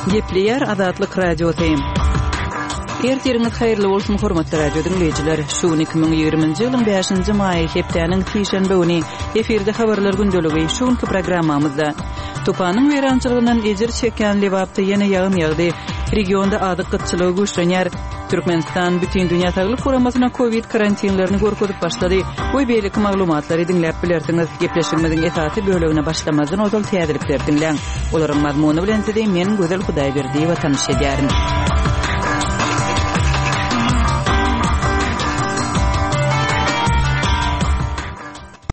Gepleýär Azatlyk Radiosy. Ertiriňiz haýyrly bolsun, hormatly radio diňleýjiler. Şu gün 2020-nji ýylyň 5-nji maýy, hepdäniň sişenbe güni. Efirde habarlar gündeligi. Şu günki programmamyzda Tupanyň weýrançylygyndan ejir çekýän Lebapda ýene ýagyn ýagdy. Regionda azyk gytçylygy güýçlenýär. Türkmenistan Bütindünýä Saglyk Guramasyna kowid karantinlerini görkezip başlady we beýleki maglumatlary diňläp bilersiňiz. Gepleşigimiziň esasy bölegine başlamazdan ozal täzelikleri diňläň. Olaryň mazmuny bilen sizi men Gözel Hudaýberdiýewa tanyş edýärin.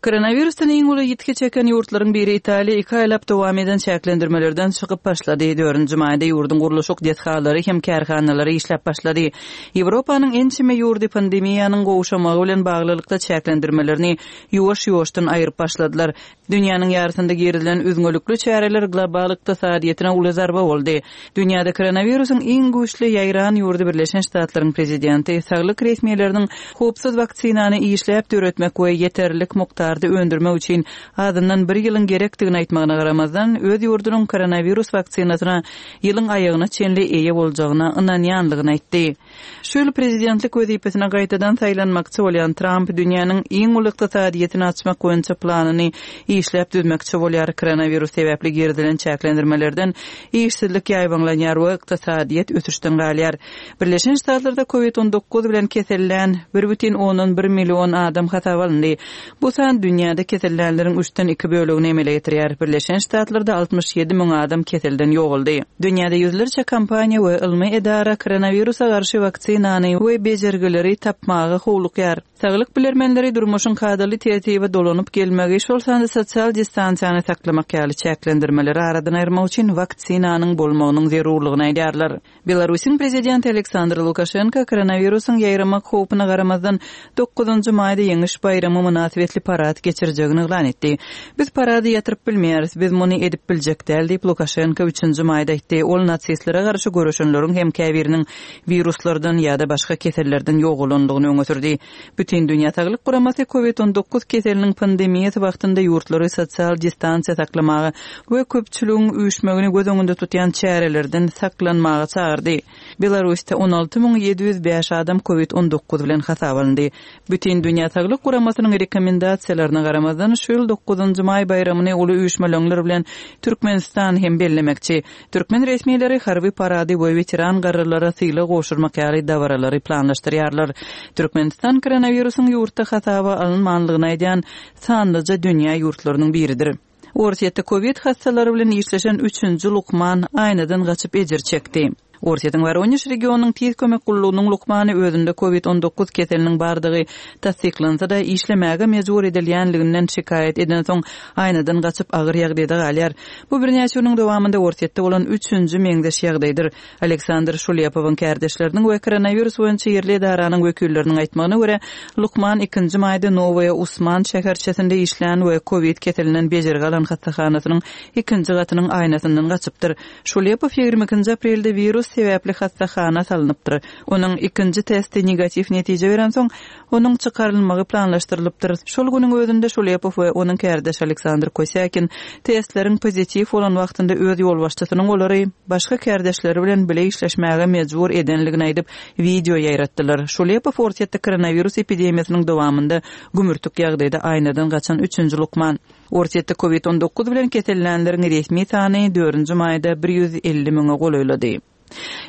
Koronawirusdan iň uly ýitgi çeken ýurtlaryň biri Italiýa iki aýlap dowam eden çäklendirmelerden çykyp başlady. Dördünji maýda ýurduň gurluşyk desgalary hem kärhanalary işläp başlady. Ýewropanyň ençeme ýurdy pandemiýanyň gowşamagy bilen baglylykda çäklendirmelerini ýuwaş-ýuwaşdan aýryp başladylar. Dünýäniň ýarysynda girizilen üzňelikli çäreler global ykdysadyýetine uly zarba boldy. Dünýäde koronawirusyň iň güýçli ýaýran ýurdy Birleşen Ştatlaryň prezidenti saglyk resmileriniň howpsuz waksinany işläp döretmek we ýeterlik mukdarda öndürmek üçin azyndan bir ýylyň gerekdigini aýtmagyna garamazdan, öz ýurdunyň koronawirus waksinasyna ýylyň aýagyna çenli eýe boljagyna ynanýanlygyny aýtdy. Şu ýyl prezidentlik wezipesine gaýtadan saýlanmakçy bolýan Tramp dünýäniň iň uly ykdysadyýetini açmak boýunça planyny işläp düzmekçi bolýar. Koronawirus sebäpli girizilen çäklendirmelerden işsizlik ýaýbaňlanýar we ykdysadyýet ösüşden galýar. Birleşen Ştatlarda Covid 19 bilen kesellän 1,1 million adam hasaba alyndy. Bu san dünýäde kesellänleriň üçden iki bölegini emele getirýär. Birleşen Ştatlarda 67 müň adam keselden ýogaldy. Dünýäde ýüzlerçe kompaniýa we ylmy edara koronawirusa garşy waksinany we bejergileri tapmaga howlukýar. Saglyk bilermenleri durmuşyň kadaly tertibe dolanyp gelmegi, şol sanda sosial distansiýany saklamak ýaly çäklendirmeleri aradan aýyrmak üçin waksinanyň bolmagynyň zerurlygyny aýdýarlar. Belarusyň prezidenti Aleksandr Lukaşenko koronawirusyň ýaýramak howpuna garamazdan, dokuzynjy maýda Ýeňiş baýramy mynasybetli parad geçirjegini yglan etdi. Biz parady ýatyryp bilmeýäris, biz muny edip biljek däl diýip, Lukaşenko üçünji maýda aýtdy. Ol nasistlere garşy göreşenleriň hem käbiriniň wiruslardan ýa-da başga kesellerden ýogalandygyny öňe sürdi. Bütindünýä Saglyk Guramasy Covid 19 keseliniň pandemiýasy wagtynda ýurtlary sosial distansiýa saklamaga we köpçüligiň üýşmegini göz öňünde tutýan çärelerden saklanmaga çagyrdy. Belarusda 16 705 adam Covid 19 bilen hasaba alyndy. Bütindünýä Saglyk Guramasynyň rekomendasiýalaryna garamazdan, şu ýyl dokuzynjy maý baýramyny uly üýşmeleňler bilen Türkmenistan hem bellemekçi. Türkmen resmileri harby parady we weteran garrylara sylag gowşurmak ýaly dabaralary planlaşdyrýarlar. Türkmenistan koronawirusyň ýurtda hasaba alynmanlygyny aýdýan sanlyja dünýä ýurtlarynyň biridir. Orsýetde kowid hassalary bilen işleşen üçünji lukman aýnadan gaçyp ejir çekdi. Orsýetiň Woronež regionynyň tiz kömek gullugynyň lukmany özünde kowid 19 keseliniň bardygy tassyklansa-da, işlemäge mejbur edilýänliginden şikaýat edensoň, aýnadan gaçyp agyr ýagdaýda galýar. Bu birnäçe günüň dowamynda Orsýetde bolan üçünji meňzeş ýagdaýdyr. Aleksandr Şulepowyň kärdeşleriniň we koronawirus boýunça ýerli edaranyň wekilleriniň aýtmagyna görä, lukman ikinji maýda Nowaýa Usman şäherçesinde işlän we kowid keselinden bejergi alan hassahanasynyň ikinji gatynyň aýnasyndan gaçypdyr. Şulepow 22-nji aprelde wirus sebäpli hassahana salnypdyr. Onuň ikinji testi negatiw netije berensoň, Onuň çykarylmagy planlaşdyrylypdyr. Şol günüň özünde Şulepow we onuň kärdeşi Aleksandr Kosýakin testleriň pozitiw bolan wagtynda öz ýolbaşçysynyň olary başga kärdeşleri bilen bile işleşmäge mejbur edenligini aýdyp, wideo ýaýratdylar. Şulepow Orsýetde koronawirus epidemiýasynyň dowamynda gümürtik ýagdaýda aýnadan gaçan üçünji lukman. Orsýetde covid 19 bilen kesellänleriň resmi sany dördünji maýda 150 müňe golaýlady.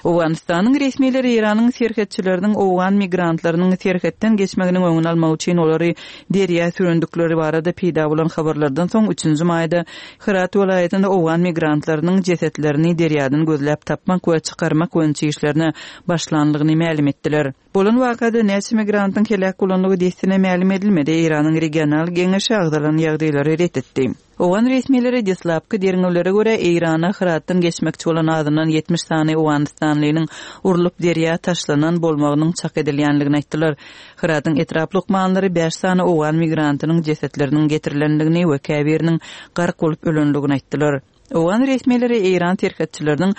Owganystanyň resmileri Eýranyň serhetçileriniň owgan migrantlarynyň serhetden geçmeginiň öňüni almak üçin olary derýa sürendikleri barada peýda bolan habarlardan soň üçünji maýda Hyrat welaýatynda owgan migrantlarynyň jesetlerini derýadan gözläp tapmak we çykarmak boýunça işlerine başlanlygyny mälim etdiler. Bolan wakada näçe migrantyň heläk bolandygy dessine mälim edilmedi. Eýranyň regional geňeşi agzalan ýagdaýlary ret etdi. Owgan resmileri deslapky derňewlere görä, Eýrana Hyratdan geçmekçi bolan azyndan 70 sany owganystanlynyň urlup derýa taşlanan bolmagynyň çak edilýänligini aýtdylar. Hyratyň etrap lukmanlary bäş sany owgan migrantynyň jesetleriniň getirilendigini we käbiriniň gark bolup ölenligini aýtdylar. Owgan resmileri eýran serhetçileriniň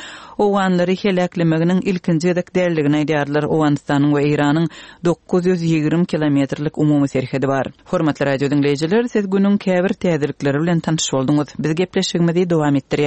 owganlary heläklemeginiň ilkinji gezek däldigini aýdýarlar. Owganystanyň we Eýranyň 920 kilometrlik umumy serhedi bar. Hormatly radio diňleýjiler, siz günüň käbir täzelikleri bilen tanyş bolduňyz. Biz gepleşigimizi dowam etdirýäris.